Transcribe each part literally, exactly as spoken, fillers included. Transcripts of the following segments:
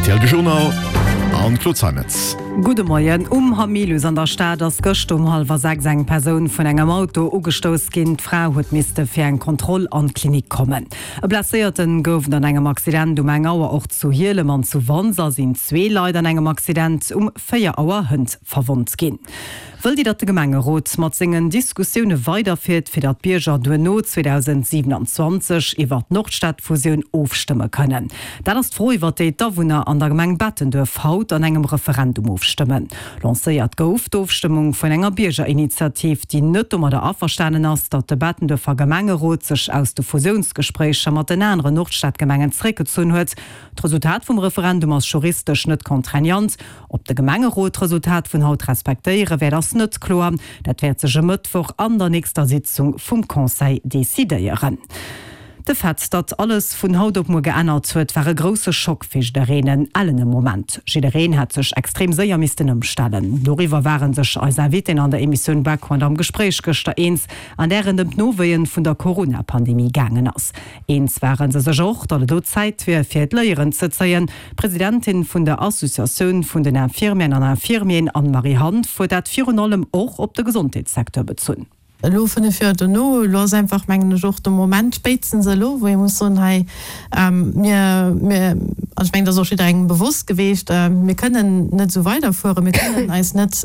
R T L De Journal an Claude Zeimetz. Gudde Moien. Um Hamilius an der Stad ass gëscht um hallwer sechs eng Persoun vun engem Auto ugestouss ginn. D'Fra huet misste fir eng Kontroll an d'Klinik kommen. E Blesséierten gouf et an engem Accident um eng Auer. Och zu Hielem an zu Wanser sinn zwee Leit an engem Accident um véier Auer hënt verwonnt ginn. Wëllt Dir, datt de Gemengerot mat sengen Diskussioune weiderfiert, fir datt d'Bierger duerno zweedausendsiwenanzwanzeg iwwer d'Nordstadfusioun ofstëmme kënnen? Dat ass d'Fro, iwwer déi d'Awunner an der Gemeng Bettenduerf haut an engem Referendum ofstëmmen. Lancéiert gouf d'Ofstëmmung vun enger Biergerinitiativ, déi net domadder averstanen ass, datt de Bettenduerfer Gemengerot sech aus de Fusiounsgespréicher mat den aneren Nordstadgemengen zeréckgezunn huet. D'Resultat vum Referendum ass juristesch net contraignant. Ob de Gemengerot d'Resultat vun haut respektéiere wäert, ass net kloer. Dat wäert sech e Mëttwoch an der nächster Sitzung vum Conseil decidéieren. De Fait, datt alles vun haut op muer geännert huet, war e grousse Schock fir jiddereen, en ellene Moment. Jiddereen hätt sech extrem séier missten ëmstellen. Doriwwer ware sech eis Invitéen an der Emissioun Background am Gespréich gëschter eens, an där et ëm d'Nowéien vun der Corona-Pandemie gaangen ass. Eens ware se sech och, datt et elo Zäit wier, fir d'Léieren ze zéien. D'Presidentin vun der Associatioun vun den Infirmieren an Infirmieren, Anne-Marie Hanff, huet dat virun allem och op de Gesondheetssecteur bezunn. Elo fënnef Joer dono, elo ass einfach, mengen ech, och de Moment spéitstens elo, wou ee muss soen, hei, mir, mir, an ech mengen, dat ass och jidderengem bewosst geweecht, mir kënnen net esou weiderfueren, mir kënnen eis net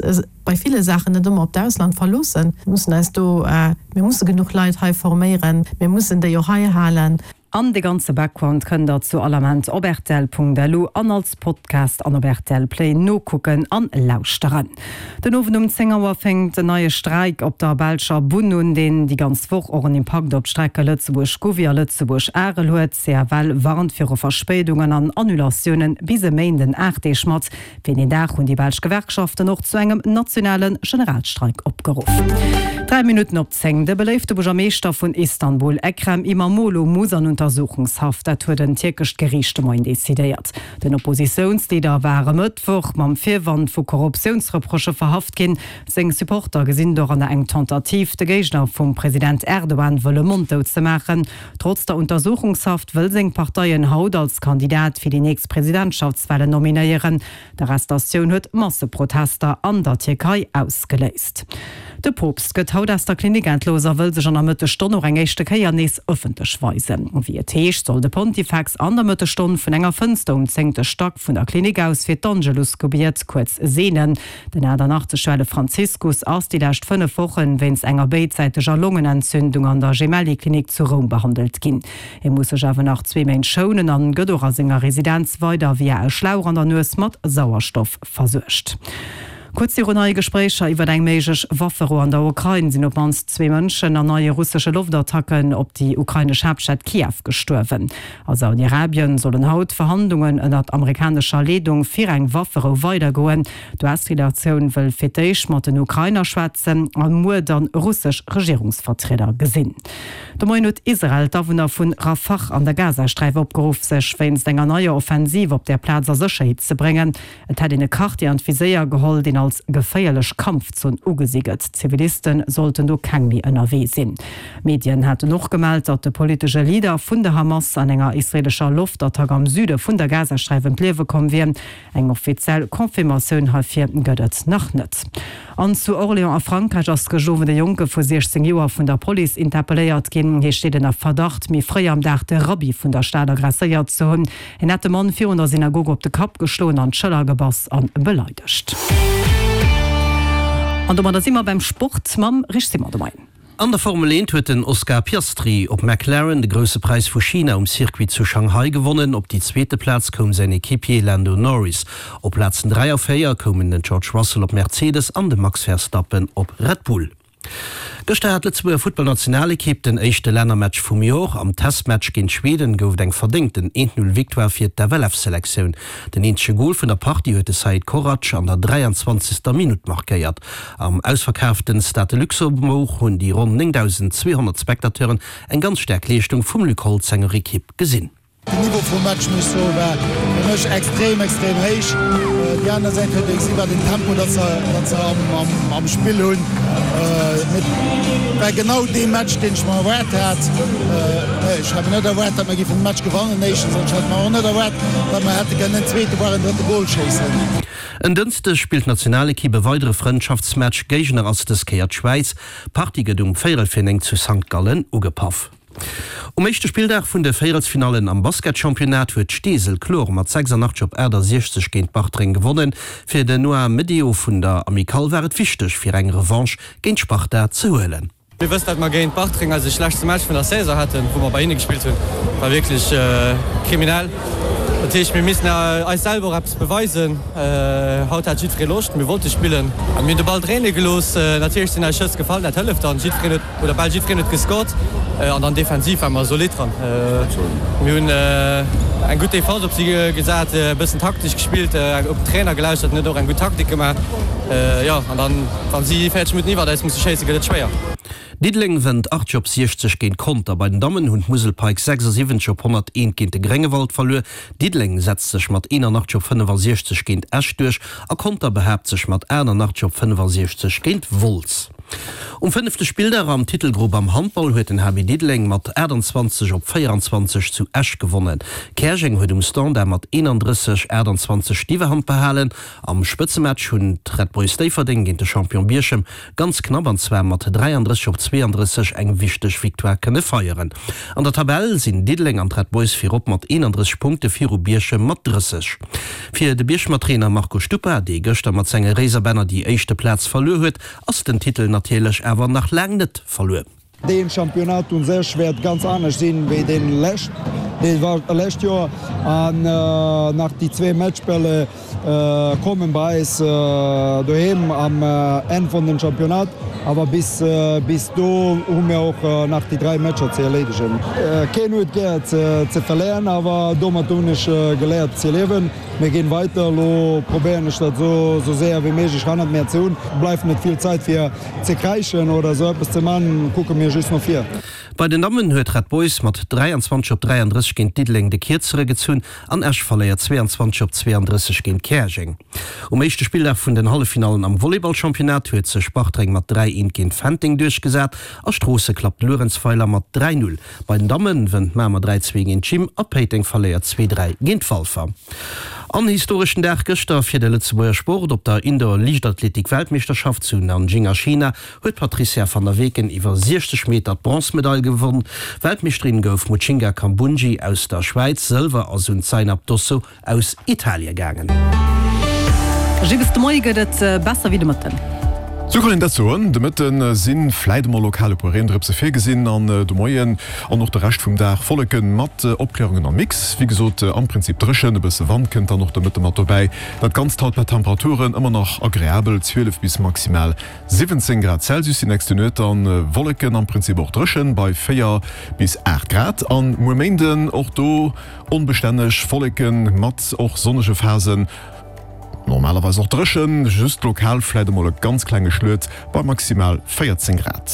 bei ville Saachen net ëmmer op d'Ausland verloossen, mir mussen eis do, mir musse genuch Leit hei forméieren, mir mussen déi och hei halen. An de ganze Background kënnt der zu all Ament op rtl.lu an als Podcast an op rtl Play nokucken an lauschteren. Den Owend um zéng Auer fänkt en neie Streik op der belscher Bunn un, deen déi ganz Woch och en Impakt op d'Strecke Lëtzebuerg-Gouvy a Lëtzebuerg-Arel huet. C F L warnt viru Verspéidungen an Annulatiounen bis e Méinden, aacht Deeg mat. Fir deen Dag hunn déi belsch Gewerkschaften och zu engem nationale Generalstreik opgeruff. Dräi Minutten op zéng, De beléifte Buergermeeschter vun Istanbul, Ekrem Imamoglu, muss an Untersuchungshaft. Dat huet en tierkescht Geriicht de Moien decidéiert. Den Oppositiounsleader war e Mëttwoch mam Virwand vu Korruptiounsreprochë verhaft ginn. Seng Supporter gesinn doranner eng Tentative, de Géigner vum President Erdogan wëlle monddout ze maachen. Trotz der Untersuchungshaft wëll seng Partei en haut als Kandidat fir déi nächst Presidentschaftswalen nominéieren. D'Arrestatioun huet Masseprotester an der Tierkei ausgeléist. De Poopst gëtt haut aus der Klinik entlooss a wëll sech an der Mëttesstonn och eng éischte Kéier nees ëffentlech weisen. Wéi et heescht, soll de Pontifex an der Mëttesstonn vun enger Fënster um zéngte Stack vun der Klinik aus fir d'Angelusgebiet kuerz seenen. Den achtannachtzeg Joer ale Franziskus ass déi lescht fënnef Woche wéinst enger béidsäiteger Longenentzündung an der Gemelli-Klinik zu Roum behandelt ginn. Hie muss sech awer nach zwee Méint schounen an gëtt och a senger Residenz weider via e Schlauch an der Nues mat Sauerstoff versuergt. Kuerz virun neie Gespréicher iwwer eng méiglech Wafferou an der Ukrain sinn op d'mannst zwee Mënschen an neie russesche Loftattacken op déi ukrainesch Haaptstad Kiew gestuerwen. A Saudi-Arabien sollen haut d'Verhandlungen ënnert amerikanescher Leedung fir eng Wafferou weidergoen. D'U S-Delegatioun wëll fir d'éischt mat den Ukrainer schwätzen a muer dann russesch Regierungsvertrieder gesinn. De Moien huet Israel d'Awunner vu Rafah an der Gazasträif opgeruff, sech wéinst enger neier Offensiv op där Plaz a Sécherheet ze bréngen. Et hätt een e Quartier an d'Viséier geholl, deen als geféierlech Kampfzon ugesi gëtt. Ziviliste sollten do keng méi ënnerwee sinn. Medien haten och gemellt, datt de politesche Leader vun der Hamas an enger israeelescher Loftattack am Süde vun der Gazasträif ëm d'Liewe komm wier. Eng offiziell Confirmatioun heifir gëtt et nach net. An zu Orléans a Frankräich ass gëscht Owend e Jonke vu siechzéng Joer vun der Police interpelléiert ginn. Hie steet ënner Verdacht, méi fréi am Dag de Rabbi vun der Stad aggresséiert ze hunn. Hien hätt de Mann virun der Synagog op de Kapp geschloen, an d'Schëller gebass an beleidegt. An domadder si mer beim Sport mam Rich Simon de Moien. An der Formel eent huet den Oscar Piastri op McLaren de Grousse Präis vu China um Circuit zu Shanghai gewonnen. Op déi zweete Plaz koum säin Equipier Lando Norris. Op Plazen dräi a véier koumen den George Russell op Mercedes an de Max Verstappen op Red Bull. Gëschter hat d'Lëtzebuerger Futtballnationalekipp den éischte Lännermatch vum Jor. Am Testmatch géint Schweden gouf et eng verdéngten eent-Null-Victoire fir d'F L F-Selektioun. Den eenzege Gol vun der Partie huet de Said Korac an der dräianzwanzegster Minutt markéiert. Am ausverkaaften Stade de Luxembourg hunn déi ronn néngdausendzweehonnert Spectateuren eng ganz staark Leeschtung vum Luc Holtz senger Ekipp gesinn. Den Niveau vum Match muss soen war fir mech extrem, extrem héich. Déi aner Säit huet ee gesi wat een Tempo datt se, datt se am, am, am Spill hunn. Mee et war genau dee Match, deen ech mer erwaart hat. Ech hat mer net erwaart, datt mer géifen de Match gewannen, éischtens, an ech hat mer och net erwaart, datt mer hätte kënnen en zweete, voire en drëtte Gol schéissen. En Dënschdeg spillt d'Nationalekipp e weidere Frëndschaftsmatch. Géigner ass dës Kéier d'Schwäiz. D'Partie gëtt um véierel fir néng zu Sankt Gallen ugepaff. Um éischte Spilldag vun de Véierelsfinallen am Basketchampionnat huet Steesel kloer mat sechsundachtzeg op achtasiechzeg géint Bartreng gewonnen. Fir den Noah Medeo vun der Amicale war et wichteg fir eng Revanche géint Sparta ze huelen. Dir wësst dat mer géint Bartreng eise schlechtste Match vun der Saison haten, wou mer bei hinne gespillt hunn. War wierklech kriminell. Dat heescht mir missten eis selwer och eppes beweisen. Haut hat jiddweree Loscht, mir wollte spillen a mir hunn de Ball dréine gelooss. Natierlech sinn eis Schëss gefall, dat hëlleft dann. Jiddwereen huet, oder bal jiddwereen huet gescored an dann defensiv ware mer solid dran. Mir hunn eng gutt Defense op si gesat, e bëssen taktesch gespillt, op den Trainer gelauschtert, en huet och eng gutt Taktik gemaach. Jo, an dann, wa si véierzeg Minutten iwwert eis musse schéissen, gëtt et schwéier. Diddeleng wënnt achtzeg op siechzeg géint Conter. Bei den Dammen hunn d'Musel Pikes sechsundsiwwenzeg op honnerteent géint de Gréngewald verluer. Diddeleng setzt sech mat eenanachtzeg op fënnefasiechzeg géint Esch duerch a Conter behaapt sech mat achtannachtzeg op fënnefasiechzeg géint Wolz. Um fënnefte Spilldag am Titelgrupp am Handball huet den H B Diddeleng mat achttanzwanzeg op véieranzwanzeg zu Esch gewonnen. Käerjeng huet um Standard mat eenandrësseg, achttanzwanzeg d'Iwwerhand behalen. Am Spëtzematch hunn d'Red Boys Déifferdeng géint de Champion Bierchem ganz knapp, an zwar mat dräiandrësseg op zweeandrësseg, eng wichteg Victoire kënne feieren. An der Tabell sinn Diddeleng an d'Red Boys virop mat eenandrësseg Punkte viru Bierchem mat drësseg. Fir de Bierchemer Trainer Marco Stuppa, dee gëschter mat senge Réiserbänner déi éischte Plaz verluer huet, ass den Titel natierlech awer nach laang net verluer. Deen Championnat un sech wäert ganz anescht sinn wéi deen lescht, dee war lescht Joer an nach déi zwee Matchbälle kommen bei eis doheem am Enn vun den Championnat, awer bis bis do hu mir och nach déi dräi Matcher ze erleedegen. Keen huet gär ze ze verléieren, awer domat hunn ech geléiert ze liewen. Mir ginn weiter, elo probéieren ech dat esou esou séier wéi méiglech hannert mir ze hunn. Bleift net vill Zäit fir ze kräischen oder esou eppes ze man, kucke mir just no vir. Bei den Dammen huet Red Boys mat dräianzwanzeg op dräiandrësseg géint Diddeleng de Kierzere gezunn an Esch verléiert zweeanzwanzeg op zweeandrësseg géint Käerjeng. Um éischte Spilldag vun den Halleffinallen am Volleyballchampionnat huet sech Bartreng mat dräi eent géint Fenteng duerchgesat a Stroosse klappt Luerenzweiler mat dräi null. Bei den Dammen wënnt Mamer dräi zwee géint Gym a Péiteng verléiert zwee dräi géint Walfer. An historeschen Dag gëschter fir de Lëtzebuerger Sport, Op der Indoor-Liichtathletik-Weltmeeschterschaft zu Nanjing a China huet d'Patrizia van der Weken iwwer siechzeg Meter d'Bronzmedail gewonn. Weltmeeschterin gouf Mujinga Kambundji aus der Schwäiz, Sëlwer ass un d'Zainab Dosso aus Italie gaangen. Gilles, de Moie gëtt et besser wéi de Mëtten. Sou kann een dat soen. De Mëtte si vläit emol lokal e puer Reendrëpse virgesinn an de Moien an och de Rescht vum Dag Wolleke mat Opklärungen am Mix. Wéi gesot am Prinzip dréchen, e bësse Wand kënnt dann och de Mëtte mat dobäi. Dat Ganzt haut bei Temperaturen ëmmer nach agreabel, zwielef bis maximal siwwenzéng Grad Celsius. Déi nächste Nuet dann Wolleken, am Prinzip och dréchen bei véier bis aacht Grad. An muer Méinden och do onbestänneg Wolleken mat och sonnege Phasen. Normalerweis och dréchen, just lokal vläit emol e ganz klenge Schluet bei maximal véierzéng Grad.